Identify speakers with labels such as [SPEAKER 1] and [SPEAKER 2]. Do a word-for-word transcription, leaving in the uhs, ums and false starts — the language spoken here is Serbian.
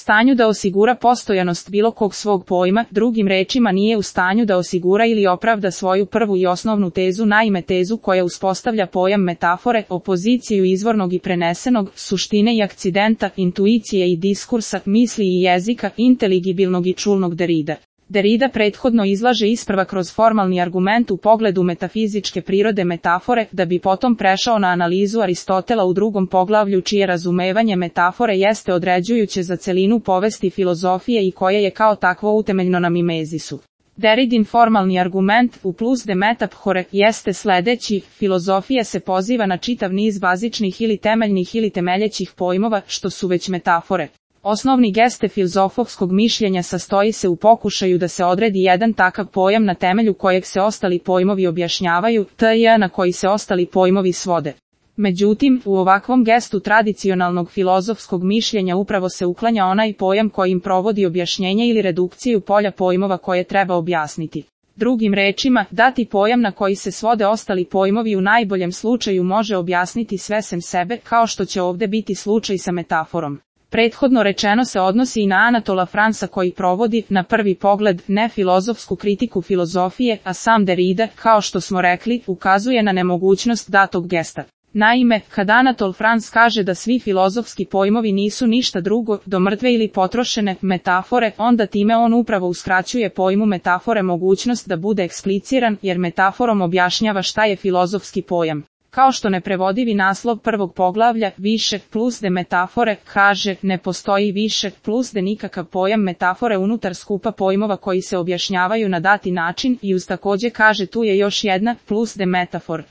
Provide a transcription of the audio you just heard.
[SPEAKER 1] stanju da osigura postojanost bilo kog svog pojma, drugim rečima nije u stanju da osigura ili opravda svoju prvu i osnovnu tezu, naime tezu koja uspostavlja pojam metafore, opoziciju izvornog i prenesenog, suštine i akcidenta, intuicije i diskursa, misli i jezika, inteligibilnog i čulnog Derrida. Derrida prethodno izlaže isprva kroz formalni argument u pogledu metafizičke prirode metafore, da bi potom prešao na analizu Aristotela u drugom poglavlju čije razumevanje metafore jeste određujuće za celinu povesti filozofije i koje je kao takvo utemeljeno na mimezisu. Derridin formalni argument u plus de metaphore jeste sledeći: filozofija se poziva na čitav niz bazičnih ili temeljnih ili temeljećih pojmova, što su već metafore. Osnovni geste filozofskog mišljenja sastoji se u pokušaju da se odredi jedan takav pojam na temelju kojeg se ostali pojmovi objašnjavaju, tj. na koji se ostali pojmovi svode. Međutim, u ovakvom gestu tradicionalnog filozofskog mišljenja upravo se uklanja onaj pojam kojim provodi objašnjenje ili redukciju polja pojmova koje treba objasniti. Drugim rečima, dati pojam na koji se svode ostali pojmovi u najboljem slučaju može objasniti sve sem sebe, kao što će ovde biti slučaj sa metaforom. Prethodno rečeno se odnosi i na Anatola Fransa koji provodi, na prvi pogled, ne filozofsku kritiku filozofije, a sam Derrida, kao što smo rekli, ukazuje na nemogućnost datog gesta. Naime, kad Anatol France kaže da svi filozofski pojmovi nisu ništa drugo do mrtve ili potrošene metafore, onda time on upravo uskraćuje pojmu metafore mogućnost da bude ekspliciran, jer metaforom objašnjava šta je filozofski pojam. Kao što neprevodivi naslov prvog poglavlja, više plus de metafore, kaže, ne postoji više plus de nikakav pojam metafore unutar skupa pojmova koji se objašnjavaju na dati način, i uz takođe kaže tu je još jedna plus de metafor.